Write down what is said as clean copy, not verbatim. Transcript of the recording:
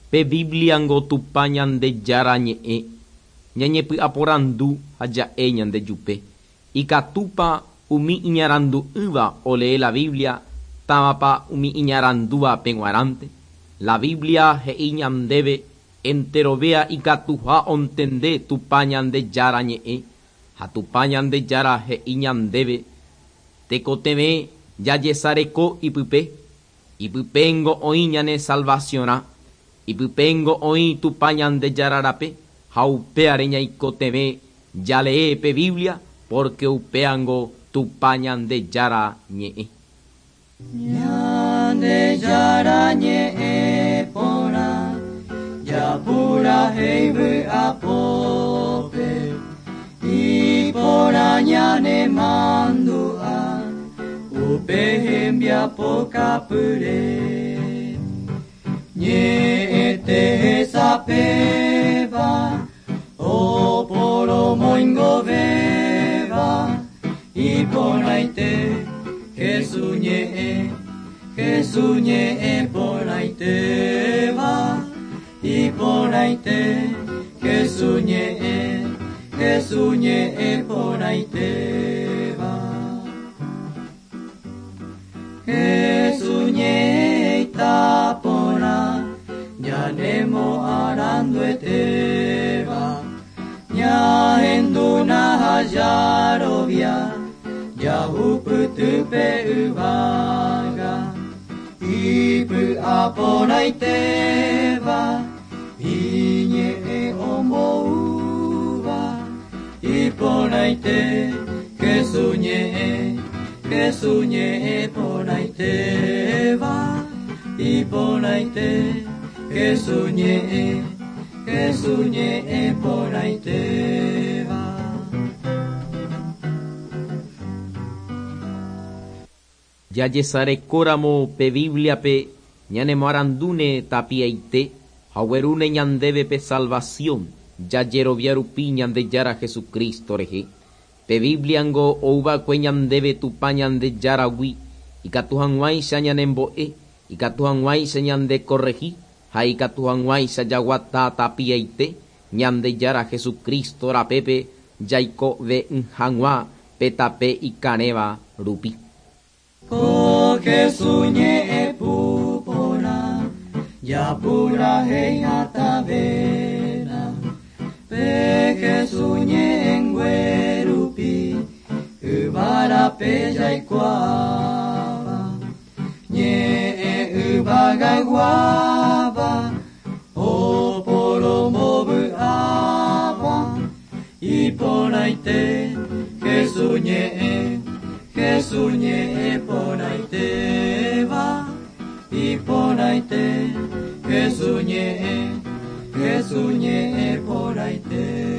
Pe Bíbliango Tupã Ñandejára ñe'ẽ, ñañepy'aporandu ha ja'e ñandejupe, Ikatúpa umi iñarandu'ỹva olee la Biblia távapa umi iñarandúvape g̃uarãnte? La Biblia he'i ñandéve enterovéa ikatuha ontende Tupã Ñandejára ñe'ẽ, ha Tupã Ñandejára he'i ñandéve tekotevẽ jajesareko ipype, ipypengo oĩ ñane salvaciorã, ipypengo oĩ Tupã Ñandejára rape ha upéare ñaikotevẽ jalee pe Biblia porque upéango Tupã Ñandejára ñe'ẽ. Ñandejára ñe'ẽ porã, japurahéi vy'apópe, iporã ñanemandu'a, upe hembiapokapyre. Ñe'ẽte hesapéva, oporomoingovéva, iporãite Jesús ñe'ẽ, Jesús ñe'ẽ porãitéva, iporãite Jesús ñe'ẽ, Jesús ñe'ẽ porãitéva. Jesús ñe'ẽ itaporã, ñanemoaranduetéva, ñahendúna ha jarovia, jahupytýpe yvága, ipy'aporãitéva, iñe'ẽ omboúva, iporãite Jesús ñe'ẽ, Jesús ñe'ẽ porãitéva, iporãite Jesús ñe'ẽ, Jesús ñe'ẽ porãitéva. Jajesarekóramo pe Bíbliape ñanemoarandúne tapiaite ha oguerúne ñandéve pe salvación jajerovia rupi Ñandejára Jesucristo rehe. Pe Bíbliango ouva'ekue ñandéve Tupã Ñandejáragui ikatu hag̃uáicha ñanembo'e, ikatu hag̃uáicha ñandekorrehi ha ikatu hag̃uáicha jaguata tapiaite Ñandejára Jesucristo rapépe jaikove'ỹ hag̃ua pe tape ikarẽva rupi. Ko Jesús ñe'ẽ porã, japurahéi hatãvéna, pe Jesús ñe'ẽngue rupi, yvárape jaikuaáva, ñe'ẽ yvagayguáva, oporombovy'áva, iporãite Jesús ñe'ẽ, Jesús ñe'ẽ porãitéva, iporãite Jesús ñe'ẽ, Jesús ñe'ẽ porãitéva.